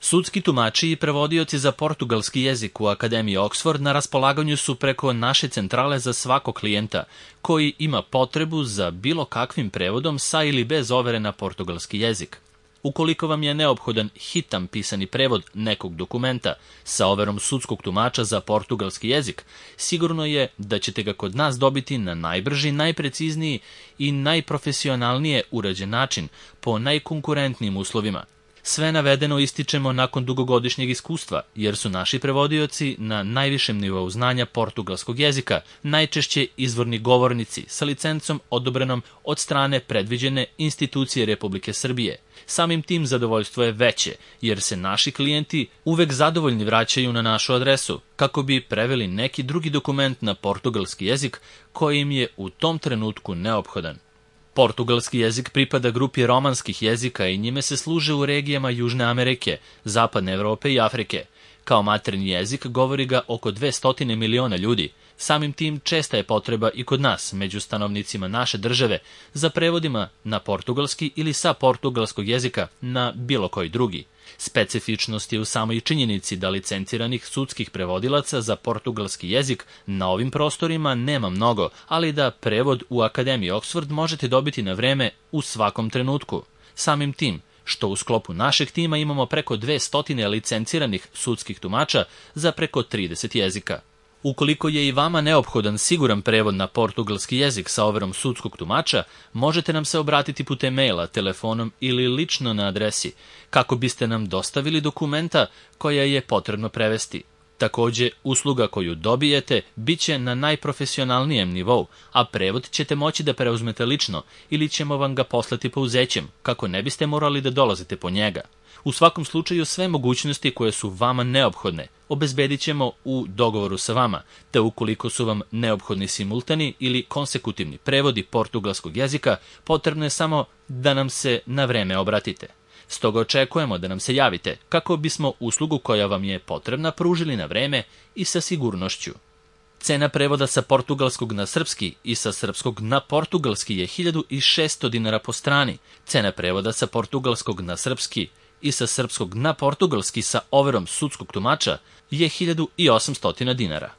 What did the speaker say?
Sudski tumači i prevodioci za portugalski jezik u Akademiji Oxford na raspolaganju su preko naše centrale za svakog klijenta koji ima potrebu za bilo kakvim prevodom sa ili bez overe na portugalski jezik. Ukoliko vam je neophodan hitan pisani prevod nekog dokumenta sa overom sudskog tumača za portugalski jezik, sigurno je da ćete ga kod nas dobiti na najbrži, najprecizniji i najprofesionalnije urađen način po najkonkurentnijim uslovima. Sve navedeno ističemo nakon dugogodišnjeg iskustva, jer su naši prevodioci na najvišem nivou znanja portugalskog jezika, najčešće izvorni govornici sa licencom odobrenom od strane predviđene institucije Republike Srbije. Samim tim zadovoljstvo je veće, jer se naši klijenti uvek zadovoljni vraćaju na našu adresu, kako bi preveli neki drugi dokument na portugalski jezik koji im je u tom trenutku neophodan. Portugalski jezik pripada grupi romanskih jezika i njime se služe u regijama Južne Amerike, Zapadne Evrope i Afrike. Kao maternji jezik govori ga oko 200 miliona ljudi. Samim tim česta je potreba i kod nas, među stanovnicima naše države, za prevodima na portugalski ili sa portugalskog jezika na bilo koji drugi. Specifičnost je u samoj činjenici da licenciranih sudskih prevodilaca za portugalski jezik na ovim prostorima nema mnogo, ali da prevod u Akademiji Oxford možete dobiti na vreme u svakom trenutku. Samim tim, što u sklopu našeg tima imamo preko 200 licenciranih sudskih tumača za preko 30 jezika. Ukoliko je i vama neophodan siguran prevod na portugalski jezik sa overom sudskog tumača, možete nam se obratiti putem maila, telefonom ili lično na adresi, kako biste nam dostavili dokumenta koja je potrebno prevesti. Takođe, usluga koju dobijete bit će na najprofesionalnijem nivou, a prevod ćete moći da preuzmete lično ili ćemo vam ga poslati pouzećem, kako ne biste morali da dolazite po njega. U svakom slučaju sve mogućnosti koje su vama neophodne obezbedit ćemo u dogovoru sa vama, te ukoliko su vam neophodni simultani ili konsekutivni prevodi portugalskog jezika, potrebno je samo da nam se na vreme obratite. Stoga očekujemo da nam se javite kako bismo uslugu koja vam je potrebna pružili na vreme i sa sigurnošću. Cena prevoda sa portugalskog na srpski i sa srpskog na portugalski je 1600 dinara po strani. Cena prevoda sa portugalskog na srpski i sa srpskog na portugalski sa overom sudskog tumača je 1800 dinara.